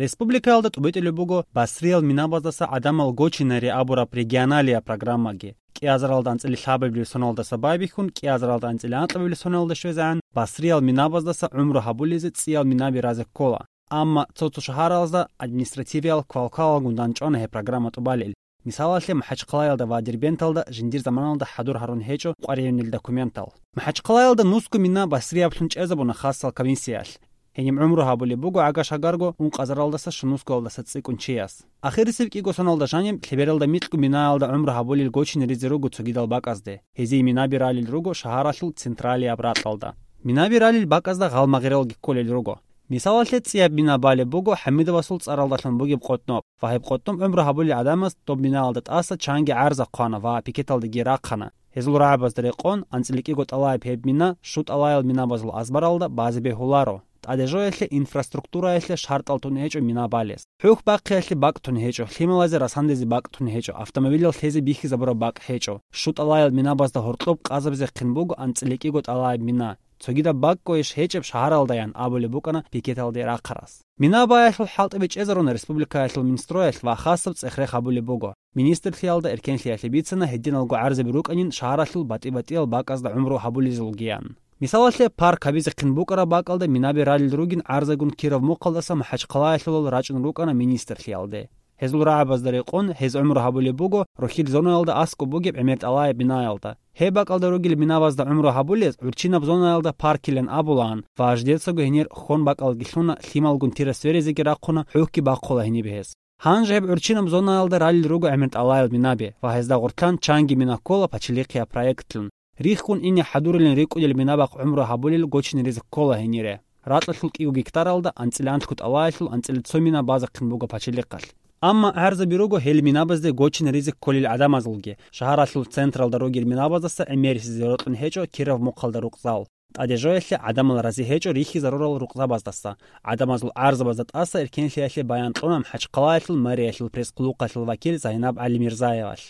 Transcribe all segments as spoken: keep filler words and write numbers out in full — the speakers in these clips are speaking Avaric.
Республикаялда тӀубитӀулеб буго Басриял минабаздаса гӀадамал гочинари абураб регионалияб программаги. КӀиазаралда анцӀила лъабабилеб соналдаса байбихьун, кӀиазаралда анцӀила анкьабилеб соналда щвезегӀан, Басриял минабаздаса гӀумру гьабулезе цӀиял минаби разе ккола. Амма цо-цо шагьаралазда административиял квалквалалгун данчӀвана гьеб программа тӀубалел. Мисалалъе, МахӀачхъалаялда ва Дербенталда жиндир заманалда хӀадур гьарун гьечӀо къваригӀунел документал. МахӀачхъалаялда нусго мина Басрияблъун чӀезабуна хасал комиссиялъ. Гьениб гӀумру гьабулеб буго гӀага-шагарго ункъазаралдаса щунусгоялдаса цӀикӀкӀун чияс. Ахирисеб кӀиго соналда жаниб лъебералда микьго минаялда гӀумру гьабулел гочинаризе руго цогидал бакӀазде. Гьезие минаби ралел руго шагьаралъул централияб ракьалда. Минаби ралел бакӀазда гъалмагъралги кколел руго. Мисалалъе, цӀияб мина балеб буго ХӀамидовасул цӀаралдалъун бугеб къотӀноб, ва гьеб къотӀноб гӀумру гьабулел гӀадамаз доб минаялда тӀаса чанги гӀарза хъвана ва пикеталдеги рахъана. Гьезул рагӀабазда рекъон, анцӀила кӀиго тӀалаяб гьеб мина щу тӀалаял минабазул азбаралда базе бегьуларо. ТӀадежоялъе инфраструктураялъе шартӀал тун гьечӀо мина балес. ХӀухь бахъиялъе бакӀ тун гьечӀо, лъималазе расандезе бакӀ тун гьечӀо, автомобилал лъезе бихьизабураб бакӀ гьечӀо. Щу тӀалаял минабазда гьоркьоб къазабизехъин буго анцӀила кӀиго тӀалаяб мина. Цогидаб бакӀго иш гьечӀеб шагьаралдаян абулеб букӀана пикеталде рахъарас. Мина баялъул хӀалтӀи бичӀчӀезаруна республикаялъул Минстроялъ ва хасаб цӀех-рех гьабулеб буго. Министрлъиялда эркенлъиялъе бицана гьединалго гӀарзаби рукӀанин шагьаралъул батӀи-батӀиял бакӀазда гӀумру гьабулезулгиян. Мисалалъе, парк гьабизехъин букӀараб бакӀалда минаби ралел ругин гӀарзагун Кировмухъалдаса МахӀачхъалаялъулал рачӀун рукӀана министрлъиялде. Гьезул рагӀабазда рекъон, гьез гӀумру гьабулеб буго рохьил зонаялда аскӀоб бугеб гӀемер тӀалаяб бинаялда. Гьеб бакӀалда ругел минабазда гӀумру гьабулез гӀурччинаб зонаялда паркилан абулаан ва жидецаго гьенир хьон бакӀалги лъуна, лъималгун тира сверизеги рахъуна, хӀухьги бахъула гьениб гьез. Гьанже гьеб гӀурччинаб зонаялда ралел руго гӀемер тӀалаяб минаби ва гьезда гъорлъан чанги мина ккола пачалихъияб проектлъун. Риххун ине хӀадурилин рикӀкӀунел минабахъ гӀумру гьабулел гочинаризе ккола гьенире. Ракьалъул кӀиго гектаралда анцӀила анлъго тӀалаялъул анцӀила цо мина базехъин буго пачалихъалъ. Амма гӀарзаби руго гьел минабазде гочинаризе кколел гӀадамазулги, шагьаралъул централда ругел минабаздаса гӀемерисезе рокьун гьечӀо Кировмухъалда рукъзал. ТӀадежоялъе гӀадамал рази гьечӀо рихьизарурал рукъзабаздаса. ГӀадамазул гӀарзабазда тӀаса эркенлъиялъе баян кьуна МахӀачхъалаялъул мэриялъул пресс-хъулухъалъул вакил Зайнаб ГӀалимирзаевалъ.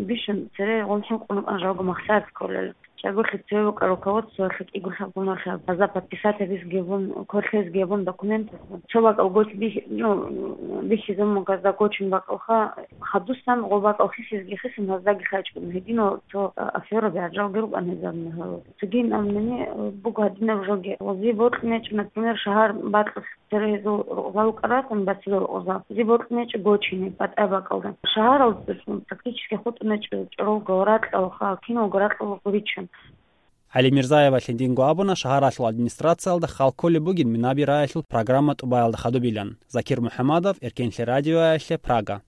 Бищун цере гъун хӀинкъун рукӀана жалго махсар кколел. Чагулъи цеве букӀа руководствоялъе кӀиго лъабгуналъа база подписать гьабиз гьебун, квалъиз гьебун документалъ. Цо бакӀал гочи бихь-, ну, бихьизабун гьазда гочун бакӀалха, хадусан гъо бакӀал хисизги хисан гьаздаги хачӀун. Гьединал цо, а, афера бегӀажалги рукӀан гьезаб мехалъ. Цогин амнани, э, буго гьадинаб жоги. Зи бокьнечӀ, например, шагьар бакьулъ Церегьезул рукъзал кӀаратун басила рукъзал. Зи бокьнечӀ гочине, батӀа бакӀалда. Шагьаралдасан практически хутӀунечӀ чӀоролго ракьалха, киналго ракьалда гуричун. ГӀалимирзаевалъе динго абуна шагьаралъул администрациялда хал кколеб бугин минаби раялъул программа тӀубаялда хадубилан. Закир МухӀамадов, Эркенлъи радиоялъе, Прага.